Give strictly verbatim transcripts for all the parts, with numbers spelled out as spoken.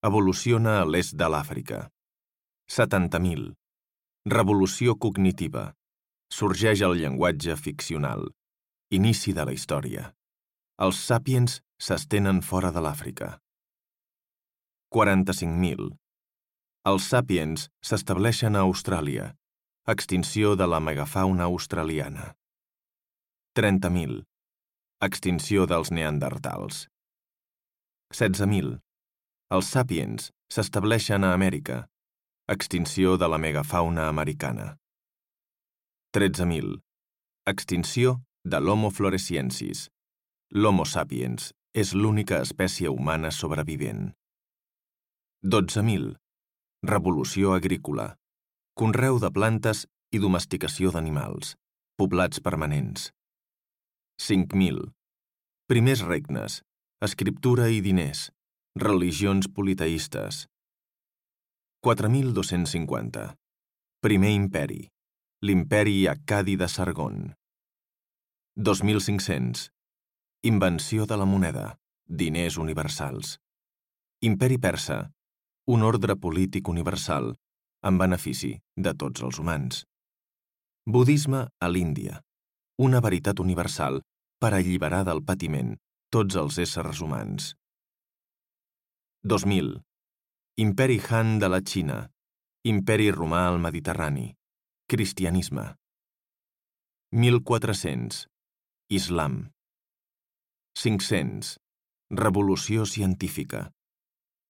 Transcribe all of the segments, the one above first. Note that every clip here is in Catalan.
Evoluciona a l'est de l'Àfrica. setanta mil. Revolució cognitiva. Sorgeix el llenguatge ficcional. Inici de la història. Els sàpiens s'estenen fora de l'Àfrica. quaranta-cinc mil. Els sàpiens s'estableixen a Austràlia. Extinció de la megafauna australiana. trenta mil. Extinció dels neandertals. setze mil. Els sàpiens s'estableixen a Amèrica. Extinció de la megafauna americana. tretze mil. Extinció de l'Homo floresiensis. L'Homo sapiens és l'única espècie humana sobrevivent. dotze mil. Revolució agrícola. Conreu de plantes i domesticació d'animals. Poblats permanents. cinc mil. Primers regnes. Escriptura i diners. Religions politeistes. quatre mil dos-cents cinquanta. Primer imperi. L'imperi accadi de Sargon. dos mil cinc-cents. Invenció de la moneda. Diners universals. Imperi persa. Un ordre polític universal en benefici de tots els humans. Budisme a l'Índia. Una veritat universal per alliberar del patiment tots els éssers humans. dos mil. Imperi Han de la Xina. Imperi romà al Mediterrani. Cristianisme. mil quatre-cents. Islam. cinc-cents. Revolució científica.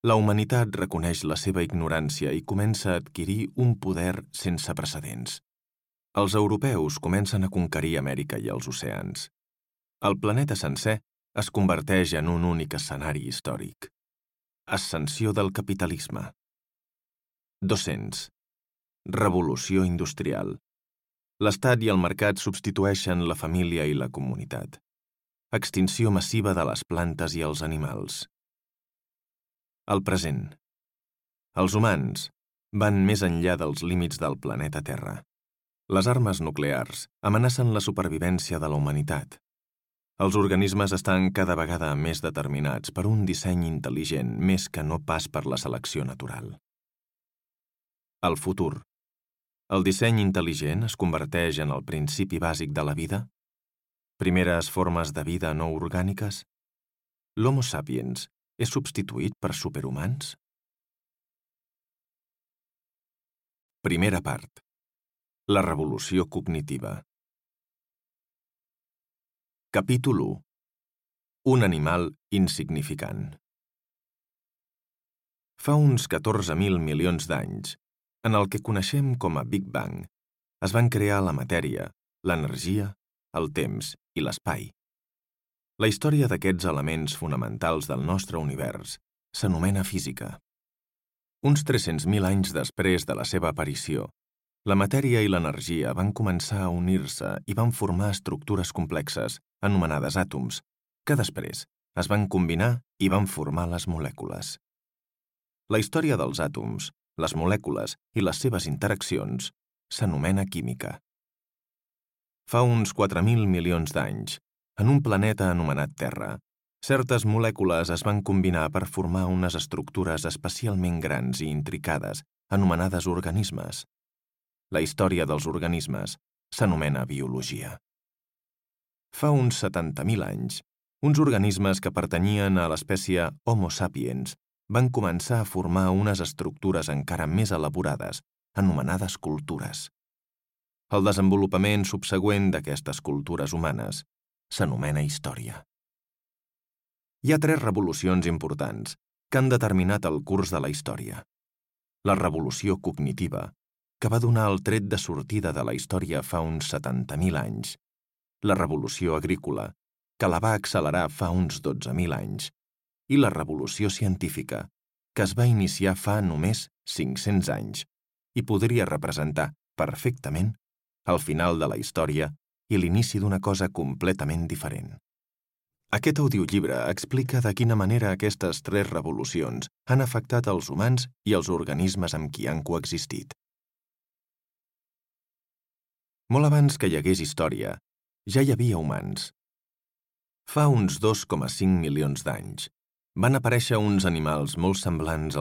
La humanitat reconeix la seva ignorància i comença a adquirir un poder sense precedents. Els europeus comencen a conquerir Amèrica i els oceans. El planeta sencer es converteix en un únic escenari històric. Ascensió del capitalisme. dos-cents. Revolució industrial. L'Estat i el mercat substitueixen la família i la comunitat. Extinció massiva de les plantes i els animals. El present. Els humans van més enllà dels límits del planeta Terra. Les armes nuclears amenacen la supervivència de la humanitat. Els organismes estan cada vegada més determinats per un disseny intel·ligent més que no pas per la selecció natural. El futur. El disseny intel·ligent es converteix en el principi bàsic de la vida? Primeres formes de vida no orgàniques? L'Homo sapiens és substituït per superhumans? Primera part. La revolució cognitiva. Capítol u. Un animal insignificant. Fa uns catorze mil milions d'anys, en el que coneixem com a Big Bang, es van crear la matèria, l'energia, el temps i l'espai. La història d'aquests elements fonamentals del nostre univers s'anomena física. Uns tres-cents mil anys després de la seva aparició, la matèria i l'energia van començar a unir-se i van formar estructures complexes, anomenades àtoms, que després es van combinar i van formar les molècules. La història dels àtoms, les molècules i les seves interaccions s'anomena química. Fa uns quatre mil milions d'anys, en un planeta anomenat Terra, certes molècules es van combinar per formar unes estructures especialment grans i intricades, anomenades organismes. La història dels organismes s'anomena biologia. Fa uns setanta mil anys, uns organismes que pertanyien a l'espècie Homo sapiens van començar a formar unes estructures encara més elaborades, anomenades cultures. El desenvolupament subsegüent d'aquestes cultures humanes s'anomena història. Hi ha tres revolucions importants que han determinat el curs de la història. La revolució cognitiva, que va donar el tret de sortida de la història fa uns setanta mil anys. La revolució agrícola, que la va accelerar fa uns dotze mil anys. I la revolució científica, que es va iniciar fa només cinc-cents anys i podria representar perfectament el final de la història i l'inici d'una cosa completament diferent. Aquest audiollibre explica de quina manera aquestes tres revolucions han afectat els humans i els organismes amb qui han coexistit. Molt abans que hi hagués història, ja hi havia humans. Fa uns dos coma cinc milions d'anys, van aparèixer uns animals molt semblants als